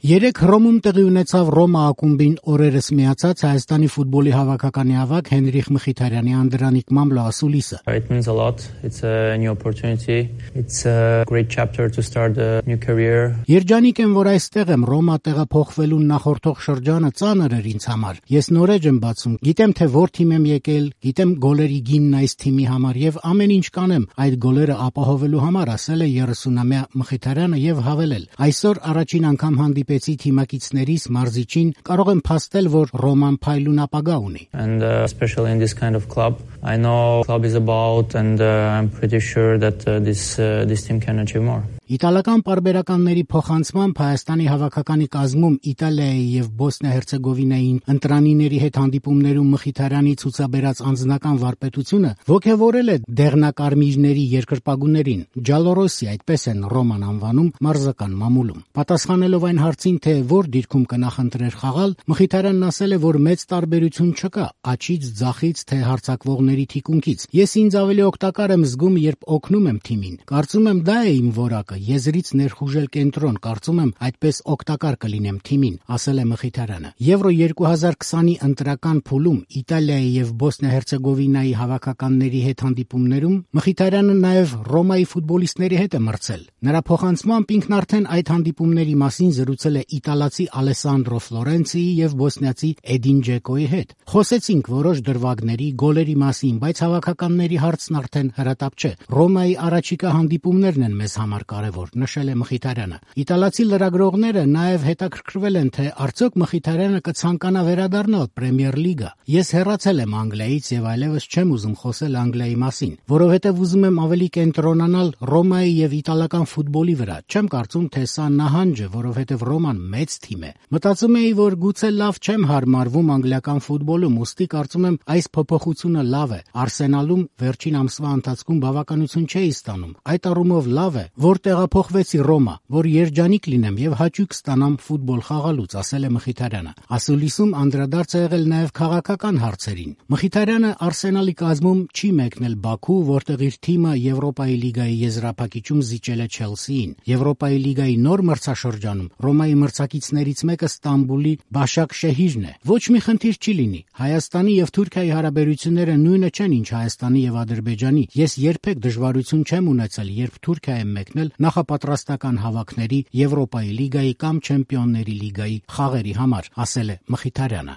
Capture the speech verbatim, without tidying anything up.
Երեկ Հռոմում տեղի ունեցավ Ռոմա ակումբին օրերս միացած Հայաստանի ֆուտբոլի հավաքականի ավագ Հենրիխ Մխիթարյանի անդրանիկ Մամլո ասուլիսը։ It means a lot. It's a new opportunity. It's a great chapter to start a new career. Երջանիկ եմ, որ այստեղ եմ, Ռոմա տեղափոխվելուն նախորդող շրջանը ծանր էր ինձ համար։ Ես նորեջ եմ բացում, գիտեմ թե որ թիմ եմ եկել, գիտեմ գոլերի գինն այս թիմի համար եւ ամեն ինչ կանեմ այդ գոլերը ապահովելու համար, ասել է երեսունամյա Մխիթարյանը եւ հավելել. Այսօր առաջին անգամ հանդիպեցի թիմակիցներիս մարզիչին, կարող եմ փաստել, որ Ռոման փայլուն ապագա ունի։ And uh, especially in this kind of club, I know club is about and uh, I'm pretty sure that uh, this uh, this team can achieve more. Իտալական պարբերականների փոխանցմամբ Հայաստանի հավաքականի կազմում Իտալիայի եւ Բոսնիա-Հերցեգովինային ընտրանիների հետ հանդիպումներում Մխիթարյանի ցուցաբերած անձնական վարպետությունը ոգևորել է դեղնակարմիրների երկրպագուներին։ Ջալորոսի, այդպես են Ռոման անվանում մարզական մամուլում։ Պատասխանելով այն հարցին, թե որ դիրքում կնախընտրեր խաղալ, Մխիթարյանն ասել է, որ մեծ տարբերություն չկա աճից, ձախից, թե հարձակվողների թիկունքից։ Ես ինձ ավելի օգտակար եմ զգում, երբ օգնում եմ թիմին։ Կարծում եմ դա է իմ որակը։ Եզրից ներխուժել կենտրոն, կարծում եմ այդպես օգտակար կլինեմ թիմին, ասել է Մխիթարյանը։ Եվրո երկու հազար քսանի ընտրական փուլում Իտալիայի եւ Բոսնիա-Հերցեգովինայի հավաքականների հետ հանդիպումներում Մխիթարյանը նաեւ Ռոմայի ֆուտբոլիստների հետ է մրցել։ Նրա փոխանցմամբ ինքն արդեն այդ հանդիպումների մասին զրուցել է իտալացի Ալեսանդրո Ֆլորենցիի եւ բոսնիացի Էդին Ջեկոյի հետ։ Խոսեցինք որոշ դրվագների, գոլերի մասին, բայց հավաքականների հարցն արդեն հրատապ չէ։ Ռոմայի առաջիկա հանդիպումներն են մեզ համար կարևոր, նշել է Մխիթարյանը։ Իտալացի լրագրողները նաև հետաքրքրվել են, թե արդյոք Մխիթարյանը կցանկանա վերադառնալ Պրեմիեր լիգա։ Ես հեռացել եմ Անգլիայից եւ այլևս չեմ ուզում խոսել Անգլիայի մասին, որովհետեւ ուզում եմ ավելի կենտրոնանալ Ռոմայի եւ իտալական ֆուտբոլի վրա։ Չեմ կարծում, թե սա նահանջ է, որովհետեւ Ռոման մեծ թիմ է։ Մտածում էի, որ գուցե լավ չեմ հարմարվում անգլիական ֆուտբոլում, ուստի կարծում եմ այս փոփոխությունը լավ է։ Արսենալում վերջին ամսվա ընթացքում բավականություն չէի ստանում։ Այդ առումով լավ է, որ տեղափոխվեցի Ռոմա, որ երջանիկ լինեմ եւ հաճույք ստանամ ֆուտբոլ խաղալուց, ասել է Մխիթարյանը։ Ասուլիսում անդրադարձ է եղել նաեւ քաղաքական հարցերին։ Մխիթարյանը Արսենալի կազմում չի մեկնել Բաքու, որտեղ իր թիմը Եվրոպայի լիգայի եզրափակիչում զիջել է Չելսիին։ Եվրոպայի լիգայի նոր մրցաշրջանում Ռոմայի մրցակիցներից մեկը Ստամբուլի Բաշակ Շեհիրն է։ Ոչ մի խնդիր չի լինի։ Հայաստանի եւ Թուրքիայի հարաբերությունները նույնը չեն, ինչ Հայաստանի եւ Ադրբեջանի։ Ես երբեք դժվարություն չեմ ունեցել, երբ Թուրքիա եմ մեկնել նախապատրաստական հավաքների, Եվրոպայի լիգայի կամ Չեմպիոնների լիգայի խաղերի համար, ասել է Մխիթարյանը։